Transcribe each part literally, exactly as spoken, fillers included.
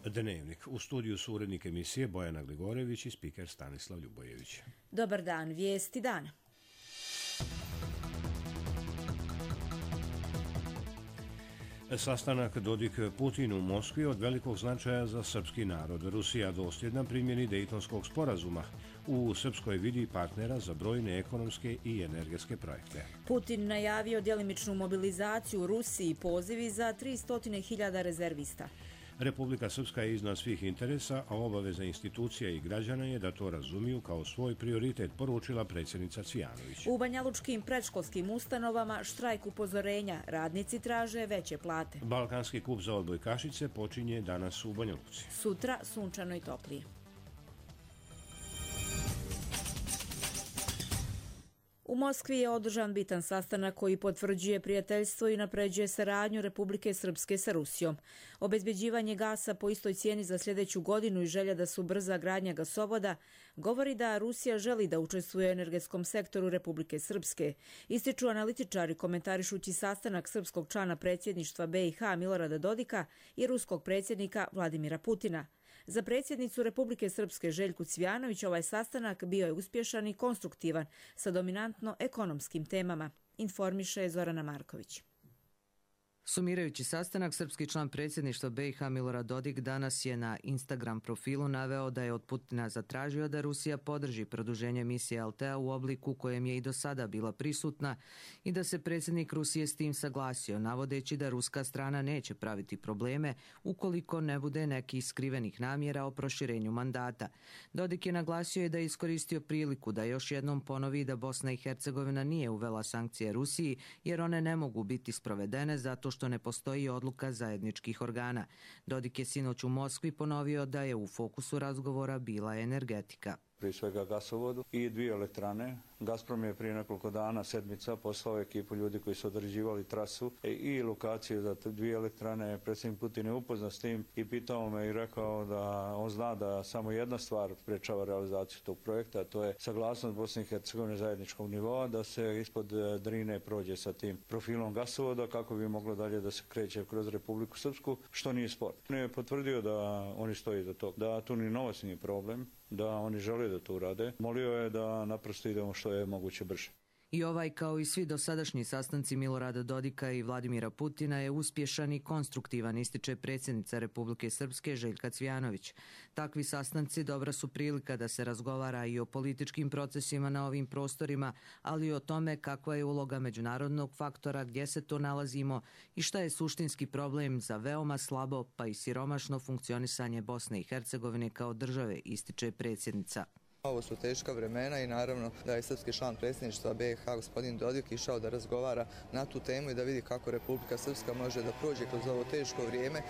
Dnevnik. U studiju su urednik emisije Bojana Gligorević i spiker Stanislav Ljubojević. Dobar dan, vijesti dana. Sastanak Dodik-Putin u Moskvi od velikog značaja za srpski narod. Rusija dosljedna primjeni Dejtonskog sporazuma. U Srpskoj vidi partnera za brojne ekonomske i energetske projekte. Putin najavio djelimičnu mobilizaciju u Rusiji i pozivi za tristo hiljada rezervista. Republika Srpska je iznad svih interesa, a obaveza institucija i građana je da to razumiju kao svoj prioritet, poručila predsjednica Cvijanović. U banjalučkim predškolskim ustanovama štrajk upozorenja, radnici traže veće plate. Balkanski kup za odbojkašice počinje danas u Banja Luci. Sutra sunčano i toplije. U Moskvi je održan bitan sastanak koji potvrđuje prijateljstvo i napređuje saradnju Republike Srpske sa Rusijom. Obezbeđivanje gasa po istoj cijeni za sljedeću godinu i želja da se ubrza gradnja gasovoda govori da Rusija želi da učestvuje u energetskom sektoru Republike Srpske. Ističu analitičari komentarišući sastanak srpskog člana predsjedništva B i H Milorada Dodika i ruskog predsjednika Vladimira Putina. Za predsjednicu Republike Srpske Željku Cvijanović ovaj sastanak bio je uspješan i konstruktivan sa dominantno ekonomskim temama, informiše Zorana Marković. Sumirajući sastanak, srpski član predsjedništva B i H Milorad Dodik danas je na Instagram profilu naveo da je od Putina zatražio da Rusija podrži produženje misije L T A u obliku kojem je i do sada bila prisutna i da se predsjednik Rusije s tim saglasio, navodeći da ruska strana neće praviti probleme ukoliko ne bude nekih skrivenih namjera o proširenju mandata. Dodik je naglasio i da je iskoristio priliku da još jednom ponovi da Bosna i Hercegovina nije uvela sankcije Rusiji jer one ne mogu biti sprovedene zato što ne postoji odluka zajedničkih organa. Dodik je sinoć u Moskvi ponovio da je u fokusu razgovora bila energetika. Prije svega gasovodu i dvije elektrane. Gazprom je prije nekoliko dana, sedmica, poslao ekipu ljudi koji su određivali trasu i lokaciju za dvije elektrane. Predsjednik Putin je upoznat s tim i pitao me i rekao da on zna da samo jedna stvar sprečava realizaciju tog projekta, a to je saglasnost Bosne i Hercegovine zajedničkog nivoa, da se ispod Drine prođe sa tim profilom gasovoda kako bi moglo dalje da se kreće kroz Republiku Srpsku, što nije spor. On je potvrdio da oni stoji za to, da tu ni novac nije problem, da oni žele da to urade. Molio je da naprosto idemo što je moguće brže. I ovaj, kao i svi dosadašnji sastanci Milorada Dodika i Vladimira Putina, je uspješan i konstruktivan, ističe predsjednica Republike Srpske Željka Cvijanović. Takvi sastanci dobra su prilika da se razgovara i o političkim procesima na ovim prostorima, ali i o tome kakva je uloga međunarodnog faktora, gdje se to nalazimo i šta je suštinski problem za veoma slabo pa i siromašno funkcionisanje Bosne i Hercegovine kao države, ističe predsjednica. Ovo su teška vremena i naravno da je srpski član predsjedništva B i H gospodin Dodik išao da razgovara na tu temu i da vidi kako Republika Srpska može da prođe kroz ovo teško vrijeme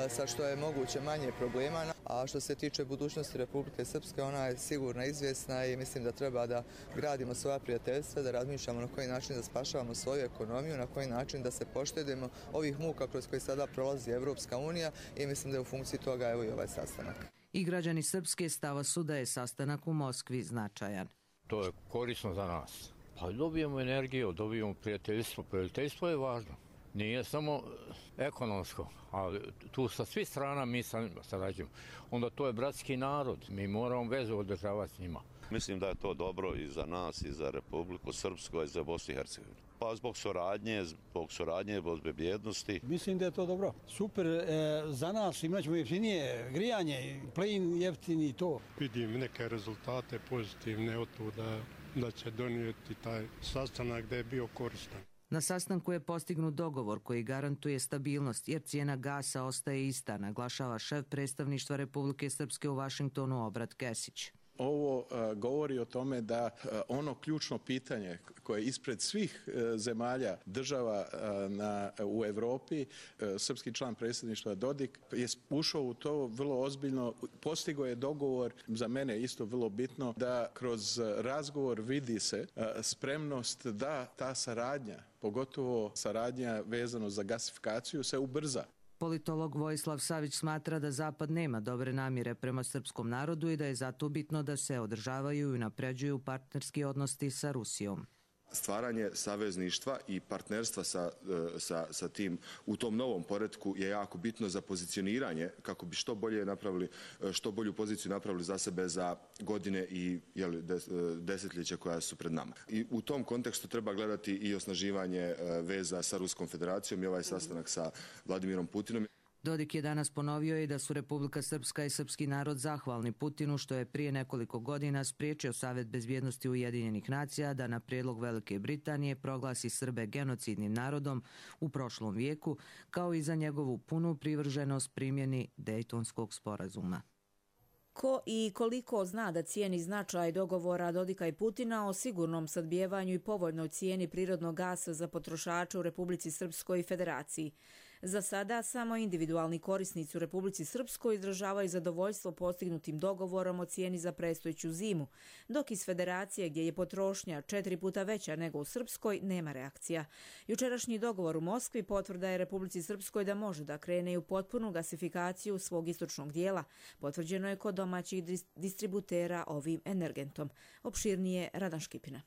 sa što je moguće manje problema. A što se tiče budućnosti Republike Srpske, ona je sigurno izvjesna i mislim da treba da gradimo svoja prijateljstva, da razmišljamo na koji način da spašavamo svoju ekonomiju, na koji način da se poštedimo ovih muka kroz koje sada prolazi Evropska unija i mislim da je u funkciji toga evo i ovaj sastanak. I građani Srpske stava su da je sastanak u Moskvi značajan. To je korisno za nas. Pa dobijemo energiju, dobijemo prijateljstvo. Prijateljstvo je važno. Nije samo ekonomsko, ali tu sa svih strana mi sarađujemo. Onda to je bratski narod. Mi moramo vezu održavati s njima. Mislim da je to dobro i za nas, i za Republiku Srpsku, i za Bosnu i Hercegovinu. Pa zbog suradnje, zbog suradnje, zbog bezbjednosti. Mislim da je to dobro. Super, e, za nas imat ćemo jeftinije grijanje, plin jeftini i to. Vidim neke rezultate pozitivne od tu da, da će donijeti taj sastanak da je bio koristan. Na sastanku je postignut dogovor koji garantuje stabilnost jer cijena gasa ostaje ista, naglašava šef predstavništva Republike Srpske u Vašingtonu Obrat Kesić. Ovo uh, govori o tome da uh, ono ključno pitanje koje je ispred svih uh, zemalja država uh, na, u Europi, uh, srpski član predsjedništva Dodik je ušao u to vrlo ozbiljno, postigao je dogovor, za mene isto vrlo bitno, da kroz razgovor vidi se uh, spremnost da ta saradnja, pogotovo saradnja vezano za gasifikaciju, se ubrza. Politolog Vojislav Savić smatra da Zapad nema dobre namjere prema srpskom narodu i da je zato bitno da se održavaju i unapređuju partnerski odnosi sa Rusijom. stvaranje savezništva i partnerstva sa, sa, sa tim u tom novom poretku je jako bitno za pozicioniranje kako bi što bolje napravili, što bolju poziciju napravili za sebe za godine i jeli, desetljeća koja su pred nama. I u tom kontekstu treba gledati i osnaživanje veza sa Ruskom federacijom i ovaj sastanak sa Vladimirom Putinom. Dodik je danas ponovio i da su Republika Srpska i srpski narod zahvalni Putinu što je prije nekoliko godina spriječio Savet bezbjednosti Ujedinjenih nacija da na prijedlog Velike Britanije proglasi Srbe genocidnim narodom u prošlom vijeku, kao i za njegovu punu privrženost primjeni Dejtonskog sporazuma. Ko i koliko zna da cijeni značaj dogovora Dodika i Putina o sigurnom sadbijevanju i povoljnoj cijeni prirodnog gasa za potrošače u Republici Srpskoj i Federaciji. Za sada samo individualni korisnici u Republici Srpskoj izražavaju zadovoljstvo postignutim dogovorom o cijeni za predstojeću zimu, dok iz Federacije, gdje je potrošnja četiri puta veća nego u Srpskoj, nema reakcija. Jučerašnji dogovor u Moskvi potvrda je Republici Srpskoj da može da krene u potpunu gasifikaciju svog istočnog dijela. Potvrđeno je kod domaćih distributera ovim energentom. Opširnije Radan Škipina.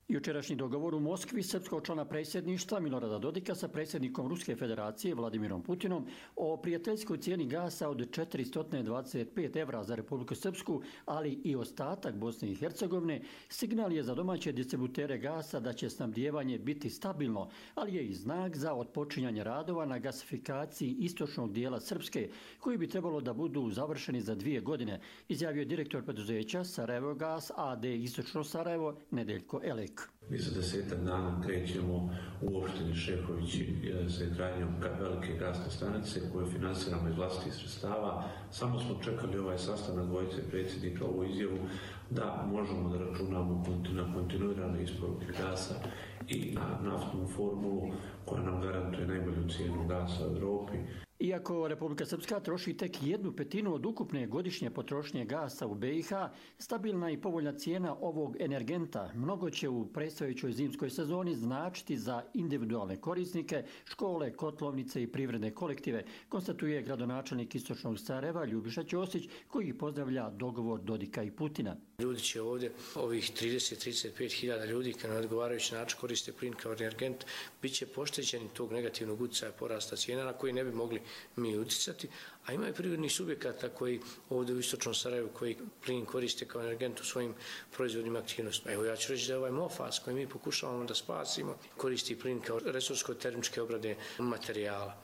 Jučerašnji dogovor u Moskvi srpskog člana predsjedništva Milorada Dodika sa predsjednikom Ruske federacije Vladimirom Putinom o prijateljskoj cijeni gasa od četiristo dvadeset pet evra za Republiku Srpsku, ali i ostatak Bosne i Hercegovine, signal je za domaće distributere gasa da će snabdijevanje biti stabilno, ali je i znak za otpočinjanje radova na gasifikaciji istočnog dijela Srpske, koji bi trebalo da budu završeni za dvije godine, izjavio direktor preduzeća Sarajevo Gas a d Istočno Sarajevo Nedeljko Elek. Mi za desetak dana krećemo u opštini Šehovići sa izgradnjom velike gasne stanice koju finansiramo iz vlastitih sredstava. Samo smo čekali ovaj sastanak dvojice predsjednika, ovu izjavu da možemo da računamo na kontinuirane isporuke gasa i na naftnu formulu koja nam garantuje najbolju cijenu gasa u Evropi. Iako Republika Srpska troši tek jednu petinu od ukupne godišnje potrošnje gasa u be i ha, stabilna i povoljna cijena ovog energenta mnogo će u predstojećoj zimskoj sezoni značiti za individualne korisnike, škole, kotlovnice i privredne kolektive, konstatuje gradonačelnik Istočnog Sarajeva Ljubiša Ćosić, koji pozdravlja dogovor Dodika i Putina. Ljudi će ovdje, ovih trideset do trideset pet hiljada ljudi koji na odgovarajući način koriste plin kao energent, bit će pošteđeni tog negativnog utjecaja porasta cijena na koji ne bi mogli mi uticati, a ima i privrednih subjekata koji ovdje u Istočnom Sarajevu koji plin koriste kao energent u svojim proizvodnim aktivnostima. Evo ja ću reći da je ovaj Mofas koji mi pokušavamo da spasimo koristi plin kao resursko-termičke obrade materijala.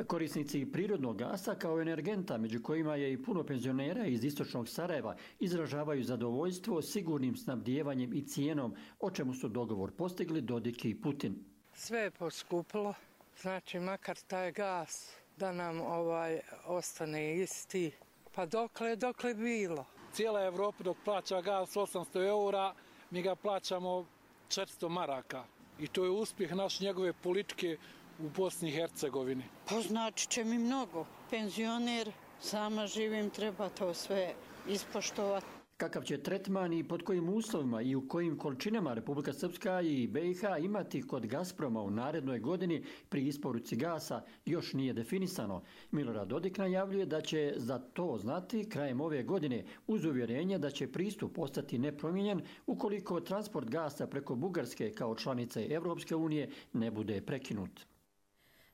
Korisnici prirodnog gasa kao energenta, među kojima je i puno penzionera iz Istočnog Sarajeva, izražavaju zadovoljstvo sigurnim snabdijevanjem i cijenom, o čemu su dogovor postigli Dodik i Putin. Sve je poskupilo, znači makar taj gas da nam ovaj ostane isti, pa dokle, dokle bilo. Cijela Evropa dok plaća gas osamsto eura, mi ga plaćamo četiristo maraka. I to je uspjeh naš njegove politike u Bosni i Hercegovini. Pa znači će mi mnogo. Penzioner, sama živim, treba to sve ispoštovati. Kakav će tretman i pod kojim uslovima i u kojim količinama Republika Srpska i be i ha imati kod Gazproma u narednoj godini pri isporuci gasa još nije definisano. Milorad Dodik najavljuje da će za to znati krajem ove godine uz uvjerenje da će pristup ostati nepromijenjen ukoliko transport gasa preko Bugarske kao članice Evropske unije ne bude prekinut.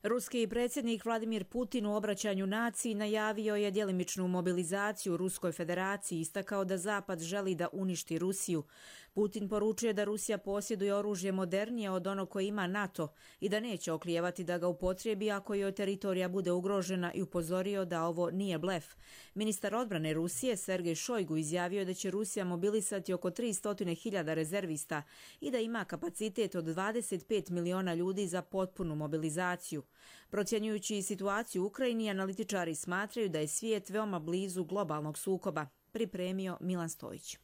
Ruski predsjednik Vladimir Putin u obraćanju naciji najavio je djelimičnu mobilizaciju u Ruskoj federaciji i istakao da Zapad želi da uništi Rusiju. Putin poručuje da Rusija posjeduje oružje modernije od onog koje ima NATO i da neće oklijevati da ga upotrijebi ako joj teritorija bude ugrožena i upozorio da ovo nije blef. Ministar odbrane Rusije Sergej Šojgu izjavio da će Rusija mobilisati oko tristo hiljada rezervista i da ima kapacitet od dvadeset pet miliona ljudi za potpunu mobilizaciju. Procjenjujući situaciju u Ukrajini, analitičari smatraju da je svijet veoma blizu globalnog sukoba, pripremio Milan Stojić.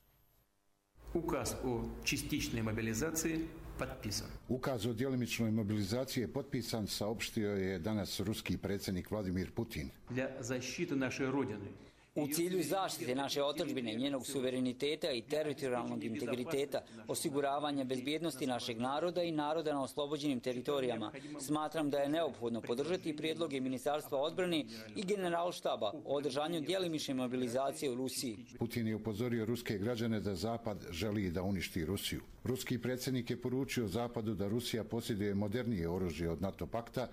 Ukaz o čističnoj mobilizaciji potpisan. Ukaz o djelimičnoj mobilizaciji je potpisan, saopštio je danas ruski predsjednik Vladimir Putin. Для защиты нашей Родины U cilju zaštite naše otadžbine, njenog suvereniteta i teritorijalnog integriteta, osiguravanja bezbjednosti našeg naroda i naroda na oslobođenim teritorijama, smatram da je neophodno podržati prijedloge Ministarstva odbrane i Generalštaba o održanju djelimične mobilizacije u Rusiji. Putin je upozorio ruske građane da Zapad želi da uništi Rusiju. Ruski predsjednik je poručio Zapadu da Rusija posjeduje modernije oružje od NATO pakta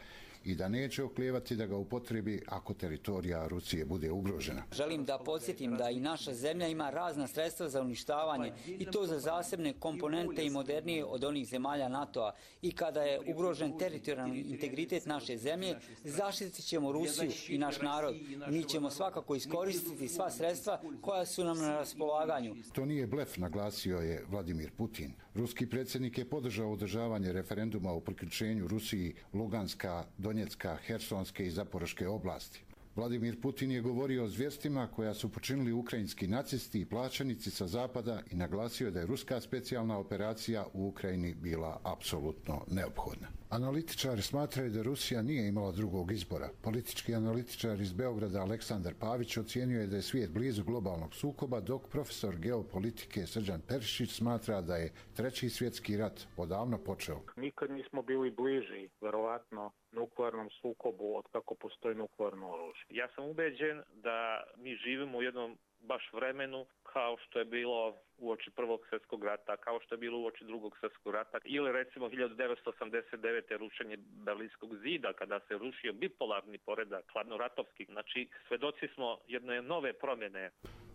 i da neće oklijevati da ga upotrebi ako teritorija Rusije bude ugrožena. Želim da podsjetim da i naša zemlja ima razna sredstva za uništavanje i to za zasebne komponente i modernije od onih zemalja NATO-a. I kada je ugrožen teritorijalni integritet naše zemlje, zaštitit ćemo Rusiju i naš narod. Mi ćemo svakako iskoristiti sva sredstva koja su nam na raspolaganju. To nije blef, naglasio je Vladimir Putin. Ruski predsjednik je podržao održavanje referenduma o priključenju Rusiji Luganska, Donjecka, Hersonske i Zaporoške oblasti. Vladimir Putin je govorio o zvjerstvima koja su počinili ukrajinski nacisti i plaćenici sa zapada i naglasio da je ruska specijalna operacija u Ukrajini bila apsolutno neophodna. Analitičari smatraju da Rusija nije imala drugog izbora. Politički analitičar iz Beograda Aleksandar Pavić ocijenio je da je svijet blizu globalnog sukoba, dok profesor geopolitike Srđan Perišić smatra da je treći svjetski rat odavno počeo. Nikad nismo bili bliži, verovatno, nuklearnom sukobu od kako postoji nuklearno oružje. Ja sam ubeđen da mi živimo u jednom baš vremenu kao što je bilo uoči Prvog svjetskog rata, kao što je bilo uoči Drugog svjetskog rata ili recimo hiljadu devetsto osamdeset devete. rušenje Berlinskog zida kada se rušio bipolarni poredak, hladnoratovski. Znači, svedoci smo jedne nove promjene.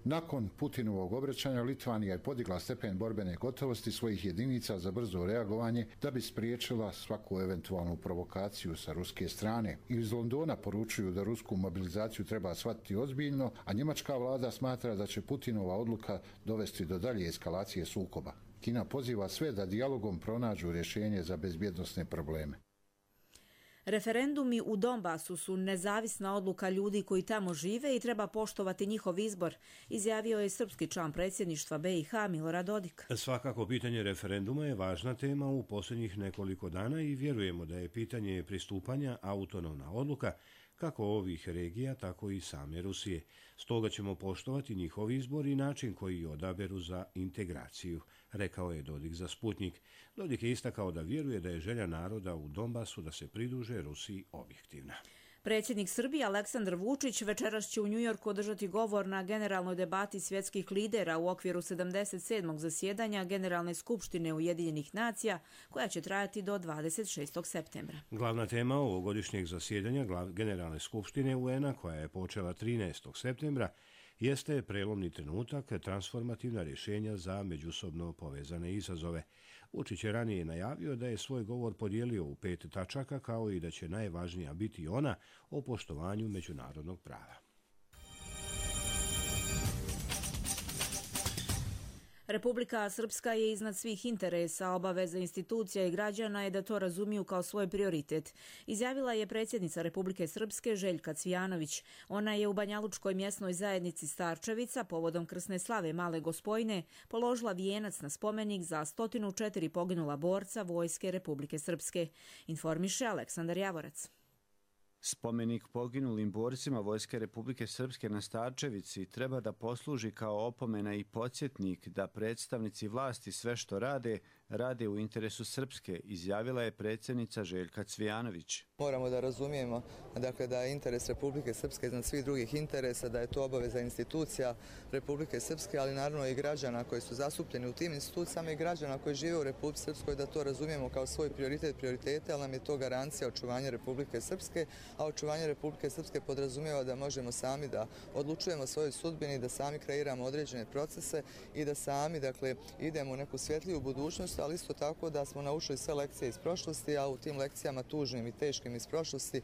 Nakon Putinovog obraćanja Litvanija je podigla stepen borbene gotovosti svojih jedinica za brzo reagovanje da bi spriječila svaku eventualnu provokaciju sa ruske strane. Iz Londona poručuju da rusku mobilizaciju treba shvatiti ozbiljno, a njemačka vlada smatra da će Putinova odluka dovesti do dalje eskalacije sukoba. Kina poziva sve da dijalogom pronađu rješenje za bezbjednosne probleme. Referendumi u Donbasu su nezavisna odluka ljudi koji tamo žive i treba poštovati njihov izbor, izjavio je srpski član predsjedništva B i H Milorad Dodik. Svakako pitanje referenduma je važna tema u posljednjih nekoliko dana i vjerujemo da je pitanje pristupanja autonomna odluka kako ovih regija, tako i same Rusije. Stoga ćemo poštovati njihov izbor i način koji odaberu za integraciju, rekao je Dodik za Sputnik. Dodik je istakao da vjeruje da je želja naroda u Donbasu da se pridruže Rusiji objektivna. Predsjednik Srbije Aleksandar Vučić večeras će u Njujorku održati govor na generalnoj debati svjetskih lidera u okviru sedamdeset sedmog zasjedanja Generalne skupštine Ujedinjenih nacija, koja će trajati do dvadeset šestog septembra. Glavna tema ovogodišnjeg zasjedanja Generalne skupštine U N-a, koja je počela trinaestog septembra, jeste prelomni trenutak, transformativna rješenja za međusobno povezane izazove. Vučić je ranije najavio da je svoj govor podijelio u pet tačaka, kao i da će najvažnija biti ona o poštovanju međunarodnog prava. Republika Srpska je iznad svih interesa, obaveza institucija i građana je da to razumiju kao svoj prioritet, izjavila je predsjednica Republike Srpske Željka Cvijanović. Ona je u Banjalučkoj mjesnoj zajednici Starčevica povodom krsne slave Male Gospojine položila vijenac na spomenik za sto četiri poginula borca Vojske Republike Srpske, informiše Aleksandar Javorac. Spomenik poginulim borcima Vojske Republike Srpske na Starčevici treba da posluži kao opomena i podsjetnik da predstavnici vlasti sve što rade, rade u interesu Srpske, izjavila je predsjednica Željka Cvijanović. Moramo da razumijemo dakle, da je interes Republike Srpske iznad svih drugih interesa, da je to obaveza institucija Republike Srpske, ali naravno i građana koji su zastupljeni u tim institucijama i građana koji žive u Republike Srpskoj, da to razumijemo kao svoj prioritet prioritete, ali nam je to garancija očuvanja Republike Srpske, a očuvanje Republike Srpske podrazumijeva da možemo sami da odlučujemo svojoj sudbini, da sami kreiramo određene procese i da sami dakle, idemo u neku svjetliju budućnost, ali isto tako da smo naučili sve lekcije iz prošlosti, a u tim lekcijama tužnim i teškim iz prošlosti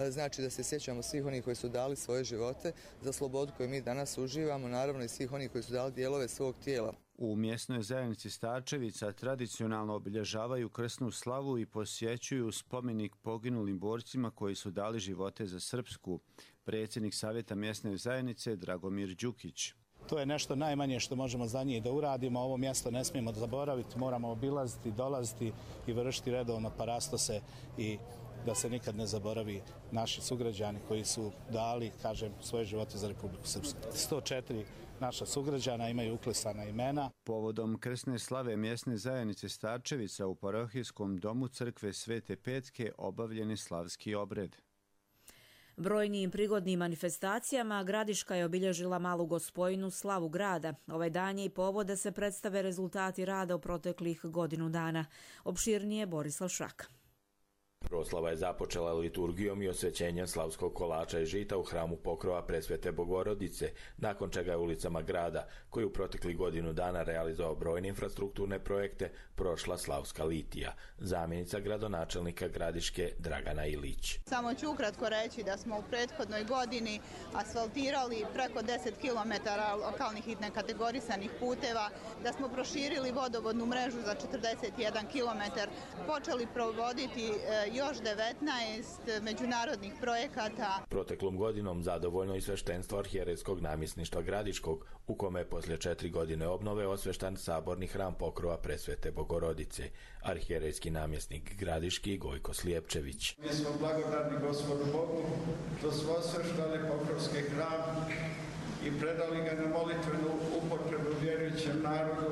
znači da se sjećamo svih onih koji su dali svoje živote za slobodu koju mi danas uživamo, naravno i svih onih koji su dali dijelove svog tijela. U mjesnoj zajednici Starčevica tradicionalno obilježavaju krsnu slavu i posjećuju spomenik poginulim borcima koji su dali živote za Srpsku. Predsjednik Savjeta mjesne zajednice Dragomir Đukić. To je nešto najmanje što možemo za njih da uradimo. Ovo mjesto ne smijemo zaboraviti, moramo obilaziti, dolaziti i vršiti redovno parastose i da se nikad ne zaboravi naši sugrađani koji su dali, kažem, svoje živote za Republiku Srpsku. sto četiri naša sugrađana imaju uklesana imena. Povodom krsne slave mjesne zajednice Starčevica u parohijskom domu crkve Svete Petke obavljeni slavski obred. Brojnim prigodnim manifestacijama Gradiška je obilježila Malu Gospojinu slavu grada. Ovaj dan je i povod da se predstave rezultati rada u proteklih godinu dana. Opširnije Borislav Šraka. Proslava je započela liturgijom i osvećenjem slavskog kolača i žita u hramu Pokrova Presvete Bogorodice, nakon čega je ulicama grada, koji u proteklih godinu dana realizovao brojne infrastrukturne projekte, prošla slavska litija. Zamjenica gradonačelnika Gradiške Dragana Ilić. Samo ću ukratko reći da smo u prethodnoj godini asfaltirali preko deset kilometara lokalnih i nekategorisanih puteva, da smo proširili vodovodnu mrežu za četrdeset jedan kilometar, počeli provoditi još devetnaest međunarodnih projekata. Proteklom godinom zadovoljno i sveštenstvo arhijerejskog namjesništva Gradiškog, u kome je poslije četiri godine obnove osveštan saborni hram Pokrova Presvete Bogorodice. Arhijerejski namjesnik Gradiški Gojko Slijepčević. Mi smo blagodarni Gospodu Bogu što smo osveštali Pokrovski hram i predali ga na molitvenu upotrebu vjerujućem narodu.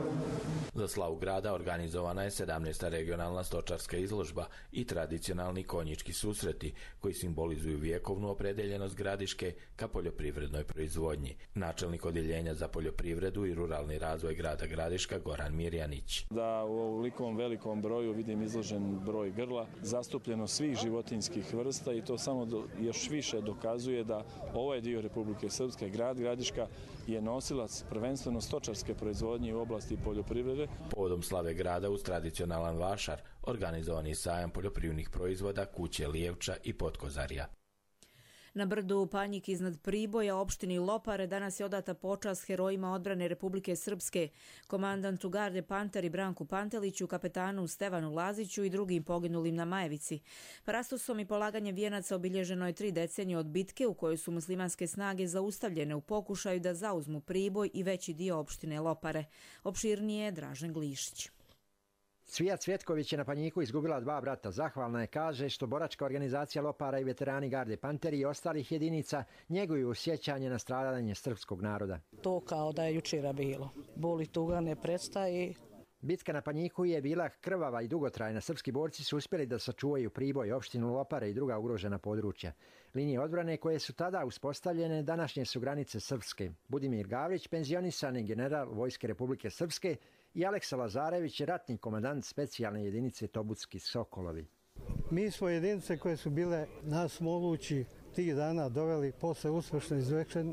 Za slavu grada organizovana je sedamnaesta regionalna stočarska izložba i tradicionalni konjički susreti, koji simbolizuju vjekovnu opredeljenost Gradiške ka poljoprivrednoj proizvodnji. Načelnik odjeljenja za poljoprivredu i ruralni razvoj grada Gradiška Goran Mirjanić. Da u ovolikom velikom broju vidim izložen broj grla, zastupljeno svih životinjskih vrsta i to samo do, još više dokazuje da ovaj dio Republike Srpske, grad Gradiška, je nosilac prvenstveno stočarske proizvodnje u oblasti poljoprivrede. Povodom slave grada uz tradicionalan vašar organizovan je sajam poljoprivrednih proizvoda Kuće Lijevča i Potkozarja. Na brdu Panjik iznad Priboja, opštini Lopare, danas je odata počast herojima odbrane Republike Srpske, komandantu garde Panteri Branku Panteliću, kapetanu Stevanu Laziću i drugim poginulim na Majevici. Parastosom i polaganjem vijenaca obilježeno je tri decenije od bitke u kojoj su muslimanske snage zaustavljene u pokušaju da zauzmu Priboj i veći dio opštine Lopare. Opširnije je Dražen Glišić. Cvija Cvjetković je na Panjiku izgubila dva brata. Zahvalna je, kaže, što boračka organizacija Lopara i veterani garde Panteri i ostalih jedinica njeguju sjećanje na stradanje srpskog naroda. To kao da je jučera bilo. Boli tuga ne prestaje. Bitka na Panjiku je bila krvava i dugotrajna. Srpski borci su uspjeli da sačuvaju Priboj, opštinu Lopare i druga ugrožena područja. Linije odbrane koje su tada uspostavljene današnje su granice Srpske. Budimir Gavrić, penzionisani general Vojske Republike Srpske, i Aleksa Lazarević, ratni komandant specijalne jedinice Tobutski Sokolovi. Mi smo jedinice koje su bile nas mogući tih dana doveli posle uspješno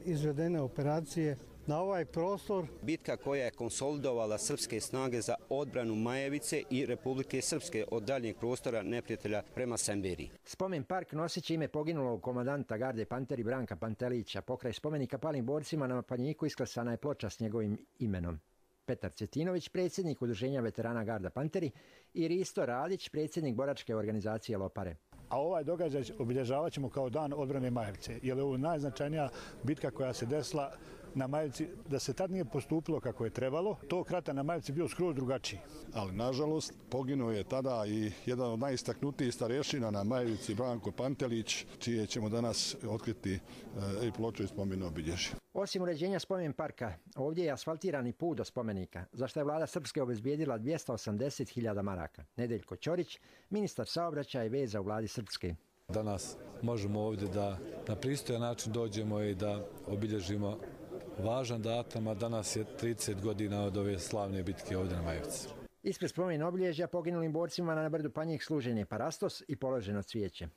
izvedene operacije na ovaj prostor. Bitka koja je konsolidovala srpske snage za odbranu Majevice i Republike Srpske od daljnjeg prostora neprijatelja prema Semberiji. Spomen park noseći ime poginulog komandanta garde Panteri Branka Pantelića. Pokraj spomenika palim borcima na Panjiku isklesana je ploča s njegovim imenom. Petar Cetinović, predsjednik Udruženja veterana garda Panteri, i Risto Radić, predsjednik boračke organizacije Lopare. A ovaj događaj obilježavat ćemo kao dan odbrane Majevice, jer je ovo najznačajnija bitka koja se desila na Majevici. Da se tad nije postupilo kako je trebalo, tog rata na Majevici bio skroz drugačiji. Ali nažalost poginuo je tada i jedan od najistaknutijih starješina na Majevici, Branko Pantelić, čije ćemo danas otkriti i ploču i spomenu obilježje. Osim uređenja spomen parka, ovdje je asfaltirani put do spomenika, za što je vlada Srpske obezbijedila dvjesto osamdeset hiljada maraka. Nedeljko Ćorić, ministar saobraćaja i veza u vladi Srpske. Danas možemo ovdje da na pristojan način dođemo i da obilježimo važan datum, a danas je trideset godina od ove slavne bitke ovdje na Majevici. Ispred spomen obilježja poginulim borcima na brdu Panjik služen je parastos i položeno cvijeće.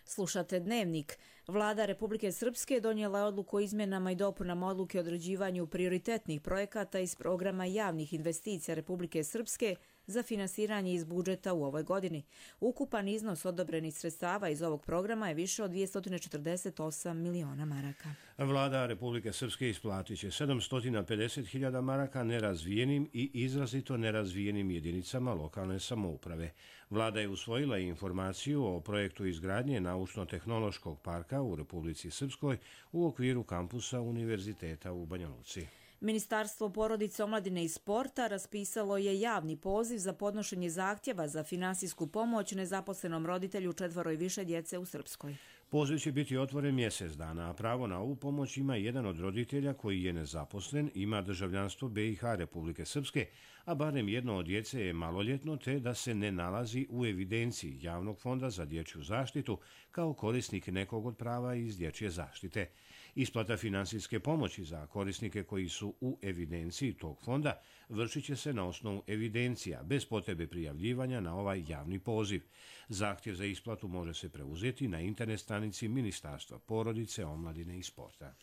Slušate Dnevnik. Vlada Republike Srpske donijela je odluku o izmjenama i dopunama odluke o određivanju prioritetnih projekata iz programa javnih investicija Republike Srpske za finansiranje iz budžeta u ovoj godini. Ukupan iznos odobrenih sredstava iz ovog programa je više od dvjesto četrdeset osam miliona maraka. Vlada Republike Srpske isplatit će sedamsto pedeset hiljada maraka nerazvijenim i izrazito nerazvijenim jedinicama lokalne samouprave. Vlada je usvojila informaciju o projektu izgradnje naučno-tehnološkog parka u Republici Srpskoj u okviru kampusa Univerziteta u Banja Luci. Ministarstvo porodice, omladine i sporta raspisalo je javni poziv za podnošenje zahtjeva za finansijsku pomoć nezaposlenom roditelju četvoro i više djece u Srpskoj. Poziv će biti otvoren mjesec dana, a pravo na ovu pomoć ima jedan od roditelja koji je nezaposlen, ima državljanstvo B i H Republike Srpske, a barem jedno od djece je maloljetno te da se ne nalazi u evidenciji Javnog fonda za dječju zaštitu kao korisnik nekog od prava iz dječje zaštite. Isplata finansijske pomoći za korisnike koji su u evidenciji tog fonda vršit će se na osnovu evidencija, bez potrebe prijavljivanja na ovaj javni poziv. Zahtjev za isplatu može se preuzeti na internet stranici Ministarstva porodice, omladine i sporta.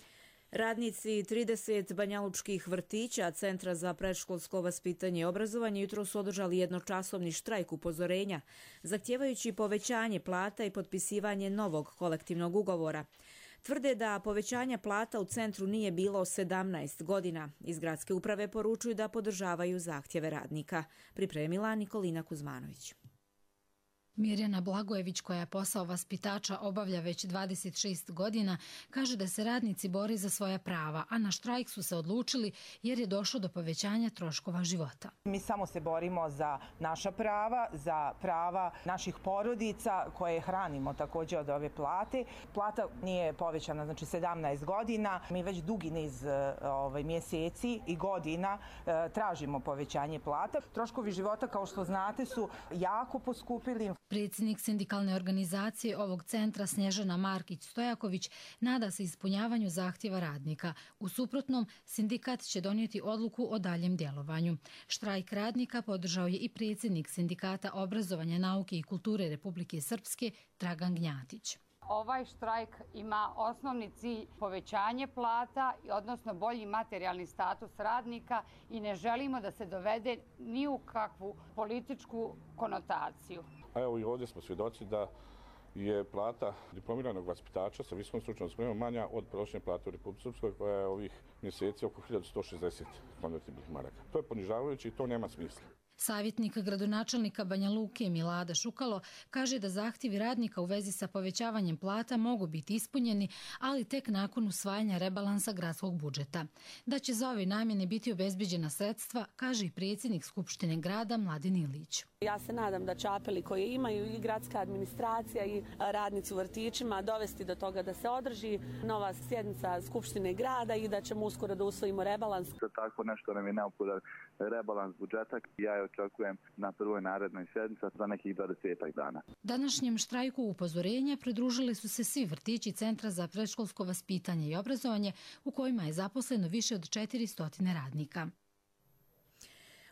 Radnici trideset banjalučkih vrtića Centra za predškolsko vaspitanje i obrazovanje jutro su održali jednočasovni štrajk upozorenja, zahtjevajući povećanje plata i potpisivanje novog kolektivnog ugovora. Tvrde da povećanja plata u centru nije bilo sedamnaest godina. Iz gradske uprave poručuju da podržavaju zahtjeve radnika. Pripremila Nikolina Kuzmanović. Mirjana Blagojević, koja posao vaspitača obavlja već dvadeset šest godina, kaže da se radnici bore za svoja prava, a na štrajk su se odlučili jer je došlo do povećanja troškova života. Mi samo se borimo za naša prava, za prava naših porodica koje hranimo također od ove plate. Plata nije povećana, znači sedamnaest godina. Mi već dugi niz ovaj, mjeseci i godina eh, tražimo povećanje plata. Troškovi života, kao što znate, su jako poskupili. Predsjednik sindikalne organizacije ovog centra Snježana Markić-Stojaković nada se ispunjavanju zahtjeva radnika. U suprotnom, sindikat će donijeti odluku o daljem djelovanju. Štrajk radnika podržao je i predsjednik Sindikata obrazovanja, nauke i kulture Republike Srpske Dragan Gnjatić. Ovaj štrajk ima osnovni cilj povećanje plata, odnosno bolji materijalni status radnika i ne želimo da se dovede ni u kakvu političku konotaciju. A evo i ovdje smo svjedoci da je plata diplomiranog vaspitača sa visokom stručnom spremom manja od prosječne plate u Republici Srpskoj, koja je ovih mjeseci oko hiljadu sto šezdeset konvertibilnih maraka. To je ponižavajuće i to nema smisla. Savjetnik gradonačelnika Banja Luke Milada Šukalo kaže da zahtjevi radnika u vezi sa povećavanjem plata mogu biti ispunjeni, ali tek nakon usvajanja rebalansa gradskog budžeta. Da će za ove namjene biti obezbeđena sredstva, kaže i predsjednik Skupštine grada Mladen Ilić. Ja se nadam da će apeli koje imaju i gradska administracija i radnici u vrtićima dovesti do toga da se održi nova sjednica Skupštine grada i da ćemo uskoro da usvojimo rebalans. Za tako nešto nam je neophodan rebalans budžeta. Ja je očekujem na prvoj narednoj sjednici za nekih dvadesetak dana. Današnjem štrajku upozorenja pridružili su se svi vrtići Centra za predškolsko vaspitanje i obrazovanje u kojima je zaposleno više od četiristo radnika.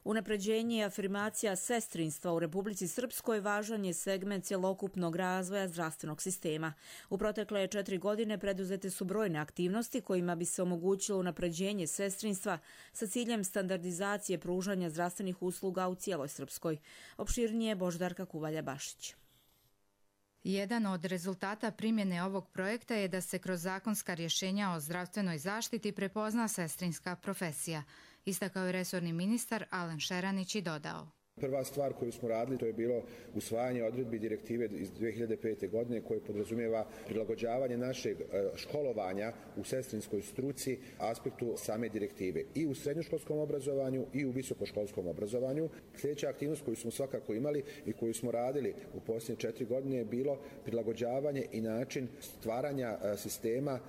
Unapređenje i afirmacija sestrinstva u Republici Srpskoj važan je segment cjelokupnog razvoja zdravstvenog sistema. U protekle četiri godine preduzete su brojne aktivnosti kojima bi se omogućilo unapređenje sestrinstva sa ciljem standardizacije pružanja zdravstvenih usluga u cijeloj Srpskoj. Opširnije Boždarka Kuvalja-Bašić. Jedan od rezultata primjene ovog projekta je da se kroz zakonska rješenja o zdravstvenoj zaštiti prepozna sestrinska profesija, istakao je resorni ministar Alen Šeranić i dodao. Prva stvar koju smo radili to je bilo usvajanje odredbi direktive iz dvije hiljade pete. godine koje podrazumijeva prilagođavanje našeg školovanja u sestrinskoj struci aspektu same direktive i u srednjoškolskom obrazovanju i u visokoškolskom obrazovanju. Sljedeća aktivnost koju smo svakako imali i koju smo radili u posljednje četiri godine je bilo prilagođavanje i način stvaranja sistema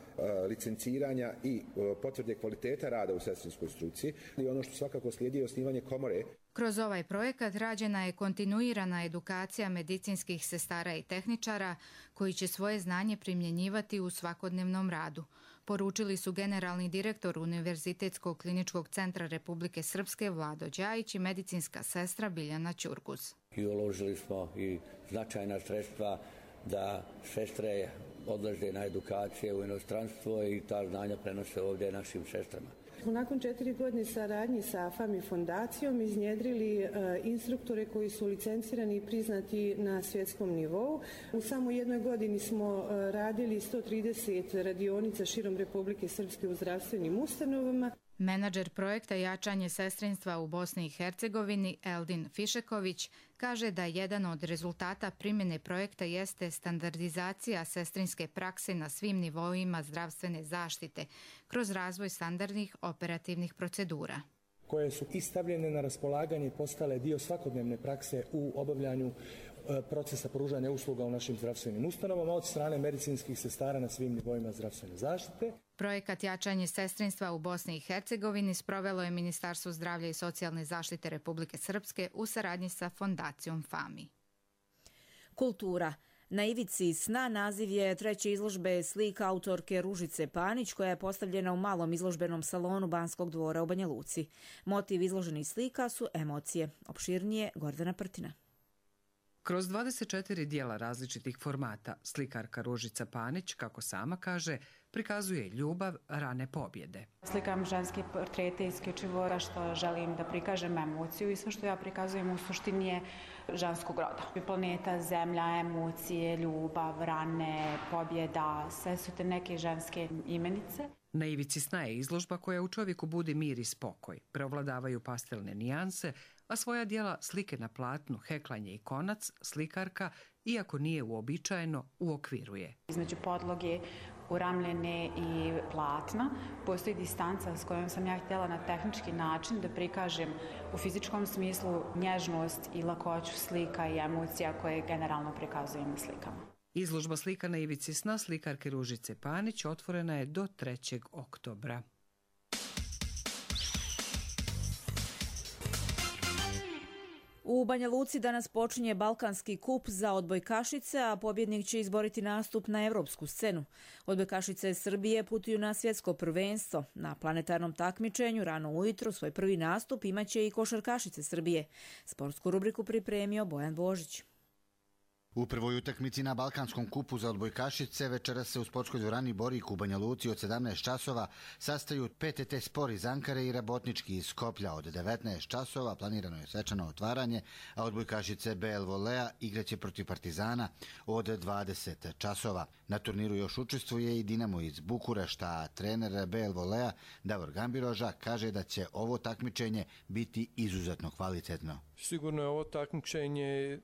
licenciranja i potvrde kvaliteta rada u sestrinskoj struci. I ono što svakako slijedi je osnivanje komore. Kroz ovaj projekat rađena je kontinuirana edukacija medicinskih sestara i tehničara koji će svoje znanje primjenjivati u svakodnevnom radu, poručili su generalni direktor Univerzitetskog kliničkog centra Republike Srpske Vlado Đajić i medicinska sestra Biljana Ćurguz. I uložili smo i značajna sredstva da sestre odlaze na edukacije u inostranstvo i ta znanja prenose ovdje našim sestrama. Nakon četiri godine saradnji sa FAMI fondacijom iznjedrili e, instruktore koji su licencirani i priznati na svjetskom nivou. U samo jednoj godini smo e, radili sto trideset radionica širom Republike Srpske u zdravstvenim ustanovama. Menadžer projekta Jačanje sestrinstva u Bosni i Hercegovini Eldin Fišeković kaže da jedan od rezultata primjene projekta jeste standardizacija sestrinske prakse na svim nivoima zdravstvene zaštite kroz razvoj standardnih operativnih procedura, koje su i stavljene na raspolaganje i postale dio svakodnevne prakse u obavljanju procesa pružanja usluga u našim zdravstvenim ustanovama od strane medicinskih sestara na svim nivoima zdravstvene zaštite. Projekat Jačanje sestrinstva u Bosni i Hercegovini sprovelo je Ministarstvo zdravlja i socijalne zaštite Republike Srpske u saradnji sa Fondacijom FAMI. Kultura. Na ivici sna naziv je treće izložbe slika autorke Ružice Panić, koja je postavljena u malom izložbenom salonu Banskog dvora u Banja Luci. Motiv izloženih slika su emocije. Opširnije Gordana Prtina. Kroz dvadeset četiri dijela različitih formata, slikarka Ružica Panić, kako sama kaže, prikazuje ljubav, rane pobjede. Slikam ženske portrete isključivo što želim da prikažem emociju i sve što ja prikazujem u suštini je ženskog roda. Planeta, zemlja, emocije, ljubav, rane, pobjeda, sve su te neke ženske imenice. Na ivici sna je izložba koja u čovjeku budi mir i spokoj. Preovladavaju pastelne nijanse, a svoja dijela slike na platnu, heklanje i konac, slikarka, iako nije uobičajeno, uokviruje. Između podloge, uramljene i platna postoji distanca s kojom sam ja htjela na tehnički način da prikažem u fizičkom smislu nježnost i lakoću slika i emocija koje generalno prikazujem na slikama. Izložba slika na ivici sna slikarke Ružice Panić otvorena je do trećeg oktobra. U Banja Luci danas počinje Balkanski kup za odbojkašice, a pobjednik će izboriti nastup na evropsku scenu. Odbojkašice Srbije putuju na svjetsko prvenstvo. Na planetarnom takmičenju rano ujutro svoj prvi nastup imaće i košarkašice Srbije. Sportsku rubriku pripremio Bojan Božić. U prvoj utakmici na Balkanskom kupu za odbojkašice večeras se u sportskoj dvorani Borik u Banja Luci od sedamnaest časova sastaju P T T Spor iz Ankare i Rabotnički iz Skoplja. Od devetnaest časova planirano je svečano otvaranje, a odbojkašice B L Volea igraće protiv Partizana od dvadeset časova. Na turniru još učestvuje i Dinamo iz Bukurešta, a trener B L Volea Davor Gambiroža kaže da će ovo takmičenje biti izuzetno kvalitetno. Sigurno je ovo takmičenje e,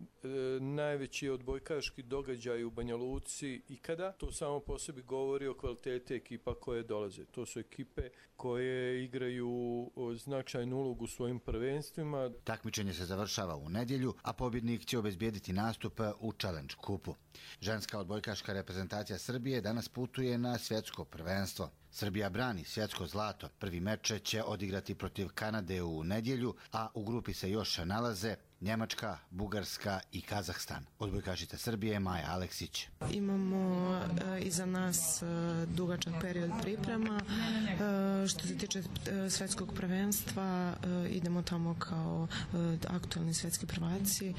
najveći odbojkaški događaj u Banja Luci ikada. To samo po sebi govori o kvaliteti ekipa koje dolaze. To su ekipe koje igraju značajnu ulogu u svojim prvenstvima. Takmičenje se završava u nedjelju, a pobjednik će obezbijediti nastup u Challenge kupu. Ženska odbojkaška reprezentacija Srbije danas putuje na svjetsko prvenstvo. Srbija brani svjetsko zlato. Prvi meč će odigrati protiv Kanade u nedjelju, a u grupi se još nalaze Njemačka, Bugarska i Kazahstan. Odbojkašica Srbije Maja Aleksić. Imamo e, iza nas e, dugačak period priprema. E, što se tiče e, svjetskog prvenstva, e, idemo tamo kao e, aktualni svjetski prvaci, e,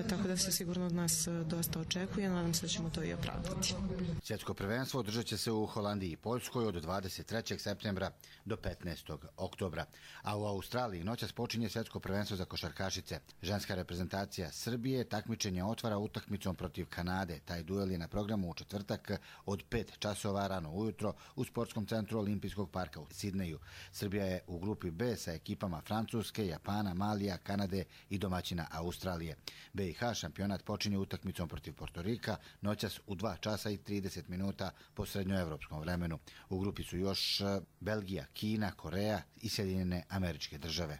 tako da se sigurno od nas e, dosta očekuje. Nadam se da ćemo to i opravdati. Svjetsko prvenstvo održat će se u Holandiji i Poljskoj od dvadeset trećeg septembra do petnaestog oktobra. A u Australiji noćas počinje svjetsko prvenstvo za košarkašice. Ženska reprezentacija Srbije takmičenje otvara utakmicom protiv Kanade. Taj duel je na programu u četvrtak od pet časova rano ujutro u sportskom centru Olimpijskog parka u Sidneju. Srbija je u grupi B sa ekipama Francuske, Japana, Malija, Kanade i domaćina Australije. B i H šampionat počinje utakmicom protiv Portorika noćas u dva časa i trideset minuta po srednjoevropskom vremenu. U grupi su još Belgija, Kina, Koreja i Sjedinjene Američke Države.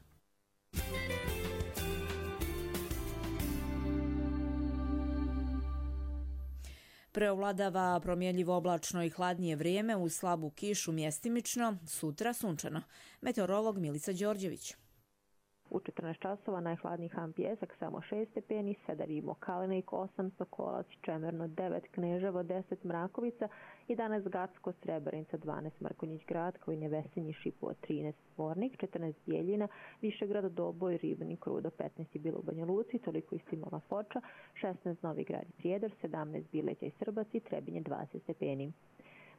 Preovladava promjenljivo oblačno i hladnije vrijeme uz slabu kišu mjestimično, sutra sunčano. Meteorolog Milica Đorđević. U četrnaest časova najhladniji Han Pijesak samo šest stepeni, Sedarimo Kalenik osam, Sokolac Čemerno devet, Kneževo deset, Mrakovica jedanaest, Gacko, Srebrenica dvanaest, Mrkonjić Grad, kao i Nevesinji Šipovo trinaest, Zvornik četrnaest, Bijeljina, Višegrad, Doboj, Ribnik, Rudo petnaest je bilo u Banja Luci, toliko isto imala Foča, šesnaest Novi Grad i Prijedor, sedamnaest Bileća i Srbac i Trebinje dvadeset stepeni.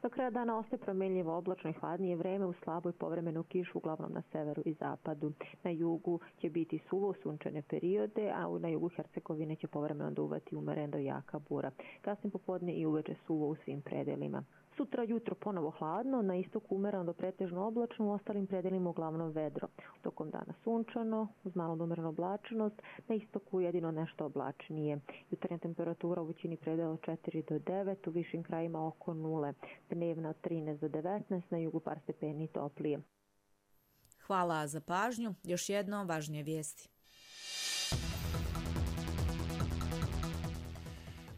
Do kraja dana ostaje promjenljivo oblačno i hladnije vreme uz slabu i povremenu kišu uglavnom na severu i zapadu. Na jugu će biti suvo sunčane periode, a na jugu Hercegovine će povremeno duvati umeren do jaka bura. Kasnije popodne i uveče suvo u svim predelima. Sutra jutro ponovo hladno, na istoku umereno do pretežno oblačno, u ostalim predelima uglavnom vedro. Tokom dana sunčano, uz malo umerenu oblačnost, na istoku jedino nešto oblačnije. Jutarnja temperatura u većini predela od četiri do devet, u višim krajima oko nule. Dnevna od trinaest do devetnaest, na jugu par stepeni toplije. Hvala za pažnju. Još jedno važnije vijesti.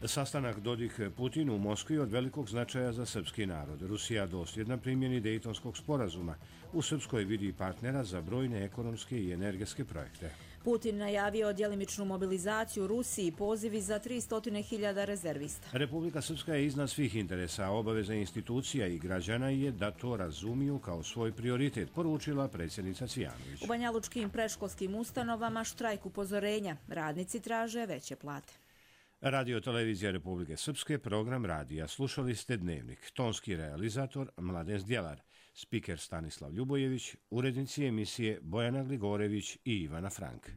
Sastanak Dodik-Putin u Moskvi od velikog značaja za srpski narod. Rusija dosljedna primjeni Dejtonskog sporazuma. U Srpskoj vidi partnera za brojne ekonomske i energetske projekte. Putin najavio djelimičnu mobilizaciju Rusiji i pozivi za tristo hiljada rezervista. Republika Srpska je iznad svih interesa, a obaveza institucija i građana je da to razumiju kao svoj prioritet, poručila predsjednica Cvijanović. U banjalučkim predškolskim ustanovama štrajk upozorenja. Radnici traže veće plate. Radio Televizija Republike Srpske, program radija. Slušali ste Dnevnik. Tonski realizator Mladen Zdjelar, spiker Stanislav Ljubojević, urednici emisije Bojana Gligorević i Ivana Frank.